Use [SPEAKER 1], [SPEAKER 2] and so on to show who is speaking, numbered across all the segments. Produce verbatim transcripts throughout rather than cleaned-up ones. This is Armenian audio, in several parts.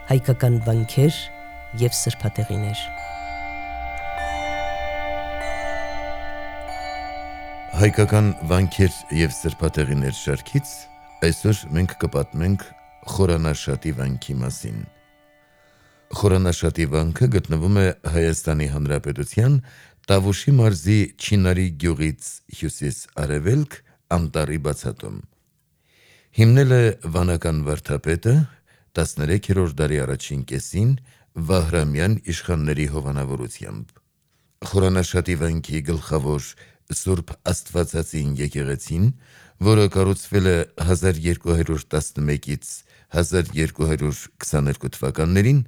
[SPEAKER 1] հայկական վանքեր և սրբատեղիներ։
[SPEAKER 2] Հայկական վանքեր և սրբատեղիներ շարքից այսօր մենք կպատմենք Խորանաշատի վանքի մասին։ Խորանաշատի վանքը գտնվում է Հայաստանի Հանրապետության Տավուշի մարզի Չինարի գյուղից հյուսիս-արևելք անտառի բացատում։ Հիմնել է վանական վարդապետը տասներեքերորդ դարի առաջին կեսին Վահրամյան իշխանների հովանավորությամբ։ Խորանաշատի վանքի գլխավոր Սուրբ Աստվածածին եկեղեցին, որը կառուցվել է հազար երկու հարյուր տասնմեկից հազար երկու հարյուր քսաներկու թվականներին,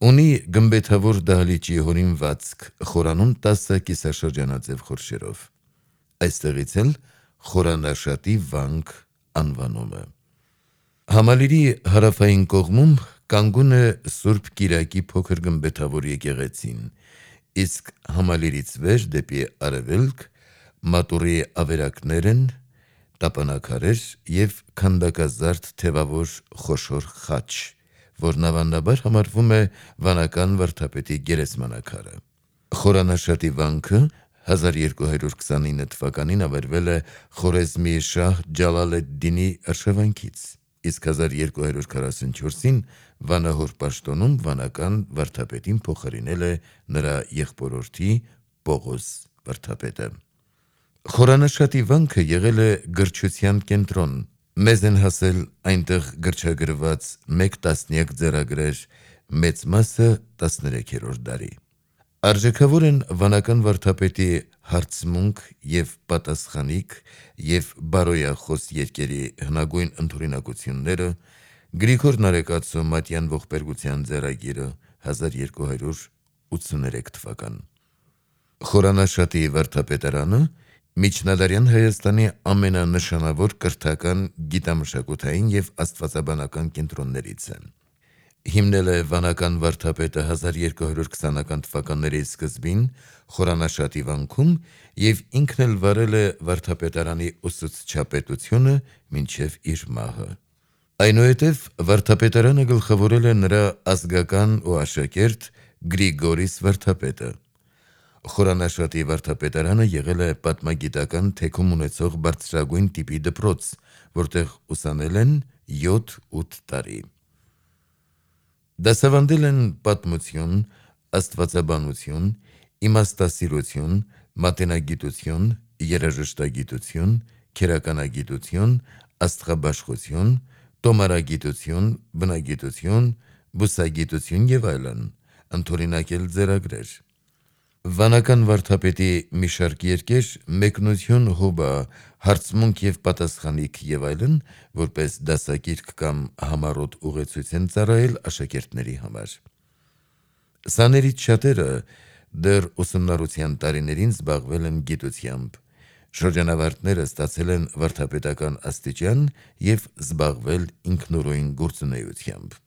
[SPEAKER 2] ունի գմբեթավոր դահլիճի հորինվածք խորանում տասը կիսաշրջանաձև խորշերով։ Այստեղից էլ Խորանաշատի վանք անվանումը։ Համալիրի հարավային կողմում կանգուն է Սուրբ Կիրակի փոքր գմբեթավոր եկեղեցին, իսկ համալիրից վեր դեպի արևելք մատուռի ավերակներ են, տապանաքարեր և քանդակազարդ թևավոր խոշոր խաչ, որն ավանդաբար համարվում է վանական վարդապետի գերեզմանակարը։ Խորանաշատի վանքը հազար երկու հարյուր քսանինը թվականին ավերվել է Խորեզմի շահ Ջալալ ալ-Դինի արշավանքից, իսկ հազար երկու հարյուր քառասունչորսին վանահոր պաշտոնում վանական վարդապետին փոխարինել է նրա եղբորորդի Պողոս վարդապետը։ Խորանաշատի վանքը եղել է գրչության կենտրոն, մեզ են հասել այնտեղ գրչագրված մեկ տասնյակ ձեռագրեր, մեծ մասը տասներեքերորդ դարի։ Արժեքավոր են վանական վարդապետի հարցմունք և պատասխանիկ և բարոյախոս երգերի հնագույն ընդօրինակությունները, Գրիգոր Նարեկացու մատյան ողբերգության ձեռագիրը հազար երկու հարյուր ութսուներեք թվական։ Խորանաշատի վարդապետարանը միջնադարյան Հայաստանի ամենանշանավոր կրթական, գիտամշակութային և աստվածաբանական կենտրոններից է։ Հիմնել է վանական վարդապետը հազար երկու հարյուր քսանական թվականների սկզբին Խորանաշատի վանքում և ինքն էլ վարել է վարդապետարանի ուսուցչապետությունը մինչև իր մահը։ Այնուհետև վարդապետարանը գլխավորել է նրա ազգական ու աշակերտ Գրիգորիս վարդապետը։ Խորանաշատի վարդապետարանը եղել է պատմագիտական թեքում ունեցող բարձրագույն տիպի դպրոց, որտեղ ուսանել են յոթ-ութ տարի։ Դասավանդել են պատմություն, աստվածաբանություն, իմաստասիրություն, մատենագիտություն, երաժշտագիտություն, քերականագիտություն, աստղաբաշխություն, տոմարագիտություն, բնագիտություն, բուսագիտություն և այլն, ընդօրինակել ձեռագրեր։ Վանական վարդապետի մի շարք երգեր մեկնություն, հոբա, հարցմունք և պատասխանիկ և այլն, որպես դասագիրք կամ համառոտ ուղեցույց են ծառայել աշակերտների համար։ Սաներից շատերը դեռ ուսումնառության տարիներին զբաղվել են գիտությամբ, շրջանավարտները ստացել են վարդապետական աստիճան և զբաղվել ինքնուրույն գործունեությամբ։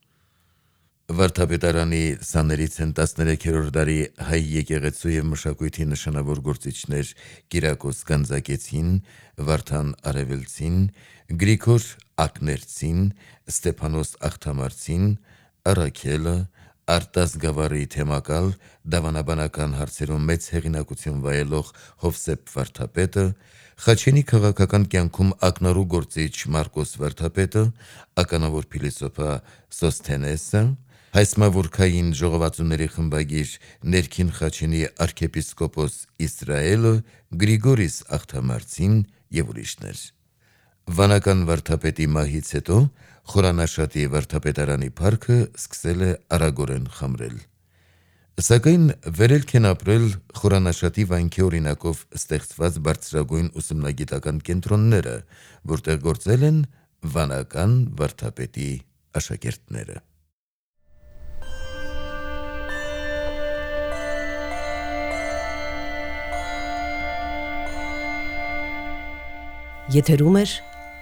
[SPEAKER 2] Վարդապետարանի սաներից են տասներեքերորդ դարի հայ եկեղեցու և մշակույթի նշանավոր գործիչներ Կիրակոս Գանձակեցին, Վարդան Արևելցին, Գրիգոր Ակներցին, Ստեփանոս Աղթամարցին, Առաքելը, Արտաս Գավառի թեմակալ, դավանաբանական հարցերում մեծ հեղինակություն վայելող Հովսեփ վարդապետը, Խաչենի քաղաքական կյանքում ակնառու գործիչ Մարկոս վարդապետը, ականավոր փիլիսոփա Սոսթենեսը, հայսմավուրքային ժողովածուների խմբագիր Ներքին Խաչենի արքեպիսկոպոս Իսրայելը, Գրիգորիս Աղթամարցին և ուրիշներ։ Վանական վարդապետի մահից հետո Խորանաշատի վարդապետարանի փառքը սկսել է արագորեն խամրել։ Սակայն վերելք են ապրել Խորանաշատի վանքի օրինակով ստեղծված բարձրագույն ուսումնագիտական կենտրոնները, որտեղ գործել են վանական վարդապետի աշակերտները։
[SPEAKER 1] Եթերում է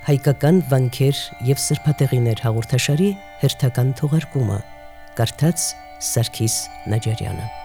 [SPEAKER 1] հայկական վանքեր և սրբատեղիներ հաղորդաշարի հերթական թողարկումը, կարդաց Սարգիս Նաջարյանը։